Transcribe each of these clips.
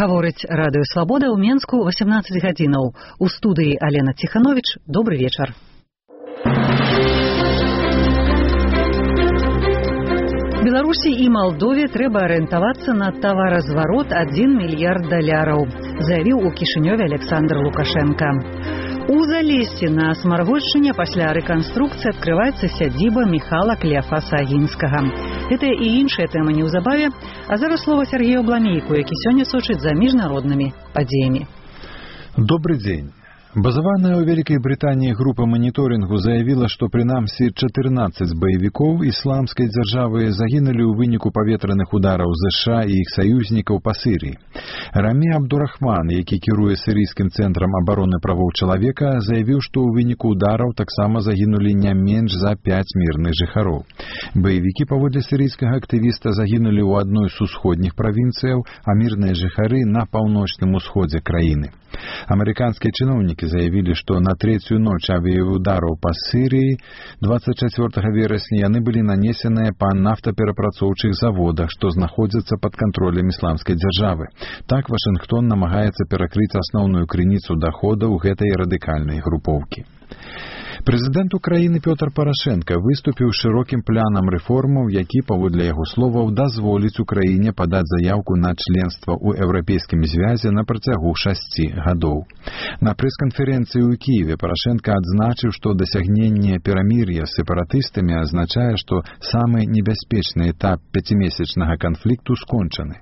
Гаворыць радыё «Свабода» ў Менску 18 гадзінаў. У студыі Алена Ціхановіч. Добры вечар. Беларусі і Малдове трэба арыентавацца на таваразварот 1 мільярд даляраў, заявіў у Кішынёве Александр Лукашенко. У Залессі на Смаргольшчыне пасля рэканструкцыі адкрываецца сядзіба Міхала Клеафаса Агінскага. Гэтыя і іншыя тэмы неўзабаве, а зараз слова Сергею Бламейку, які сёння сочыць за міжнароднымі падзеямі. Добрый день. Базаваная ў Вялікай Брытаніі група маніторынгу заявіла, што прынамсі 14 баевікоў ісламскай дзяржавы загінулі ў выніку паветраных удараў ЗША і іх саюзнікаў па Сірыі. Рамі Абдурахман, які кіруе сірыйскім цэнтрам абароны правоў чалавека, заявіў, што ў выніку удараў таксама загінулі не менш за 5 мірных жыхароў. Баевікі, паводле сірыйскага актывіста, загінулі ў адной з усходніх правінцыяў, а мірныя жыхары на паўночным усходзе краіны. Амерыканскія чыноўнікі заявілі, што на трэцюю ноч авіяудараў па Сірыі 24 верасня яны былі нанесеныя па нафтаперапрацоўчых заводах, што знаходзяцца пад кантролем ісламскай дзяржавы. Так Вашынгтон намагаецца перакрыць асноўную крыніцу даходаў гэтай радыкальнай групоўкі. Прэзідэнт Украіны Пётр Парашенка выступіў з шырокім планам рэформаў, які, паводле яго словаў, дазволіць Украіне падаць заяўку на членства ў Еўрапейскім звязе на працягу 6 гадоў. На прэс-канферэнцыі ў Кіеве Парашенка адзначыў, што дасягненне перамір'я з сепаратыстамі азначае, што самы небяспечны этап 5-месячнага канфлікту скончаны.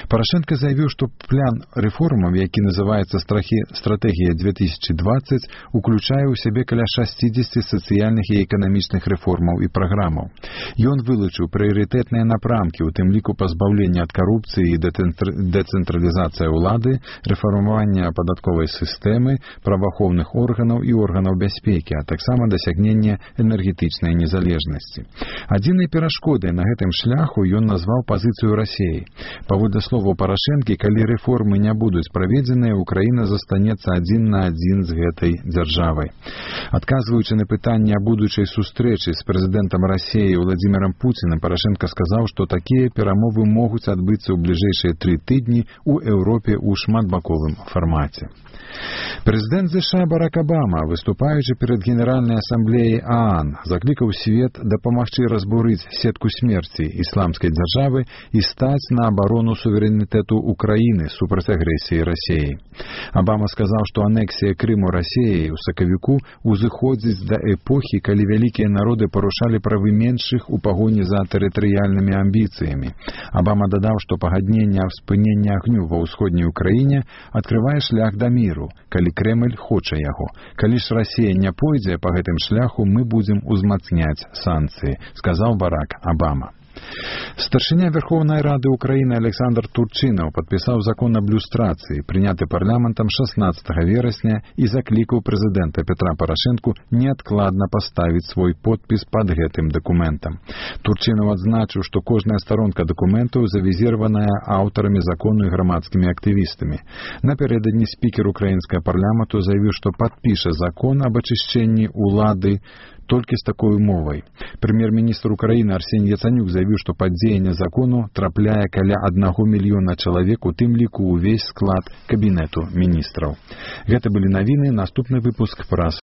Парашенка заявіў, што план рэформаў, які называецца «Стратэгія 2020», уключае ў сябе каля 60 сацыяльных і эканамічных рэформаў і праграмаў. Ён вылучыў прыярытэтныя напрамкі, у тым ліку пазбаўлення ад карупцыі і дэцэнтралізацыя ўлады, рэфармаванне падатковай сістэмы, праваахоўных органаў і органаў бяспекі, а таксама дасягнення энергетычнай незалежнасці. Адзінай перашкодай на гэтым шляху ён назваў пазіцыю Расіі. Паводле словаў Парашэнкі, калі рэформы не будуць праведзеныя, Украіна застанецца адзін на адзін з гэтай дзяржавай. Адказваючы на пытанне аб будучай сустрэчы з прэзідэнтам Расіі Владзімірам Пуцінам, Парашенка сказаў, што такія перамовы могуць адбыцца ў бліжэйшыя 3 тыдні ў Еўропе ў шматбаковым фармаце. Прэзідэнт ЗША Барак Абама, выступаючы перад Генеральнай асамблеяй ААН, заклікаў свет дапамагчы разбурыць сетку смерці ісламскай дзяржавы і стаць на абарону суверэнітэту Украіны супраць агрэсіі Расіі. Абама сказаў, што анексія Крыму Расіяй у сакавіку узыходзіць да эпохі, калі вялікія народы парушалі правы меншых у пагоні за тэрытарыяльнымі амбіцыямі. Абама дадаў, што пагадненне аб спыненні агню ва ўсходняй Украіне адкрывае шлях да міру, калі Крэмль хоча яго. Калі ж Расія не пойдзе па гэтым шляху, мы будзем узмацняць санкцыі, сказаў Барак Абама. Старшыня Верховнай Рады Украіны Александр Турчынаў падпісаў закон аб люстрацыі, прыняты парламентам 16 верасня, і заклікаў прэзідэнта Петра Парашэнку неадкладна паставіць свой подпіс пад гэтым дакументам. Турчынаў адзначыў, што кожная старонка дакументаў завізіраваная аўтарамі закону і грамадскімі актывістамі. Напярэдадні спікер украінскага парламенту заявіў, што падпіша закон аб ачышчэнні ўлады толькі з такой умовай. Прэм'ер-міністр Украіны Арсеній Яцанюк заявіў, што пад дзеянне закону трапляе каля 1 мільёна чалавек, у тым ліку ўвесь склад кабінету міністраў. Гэта былі навіны, наступны выпуск праз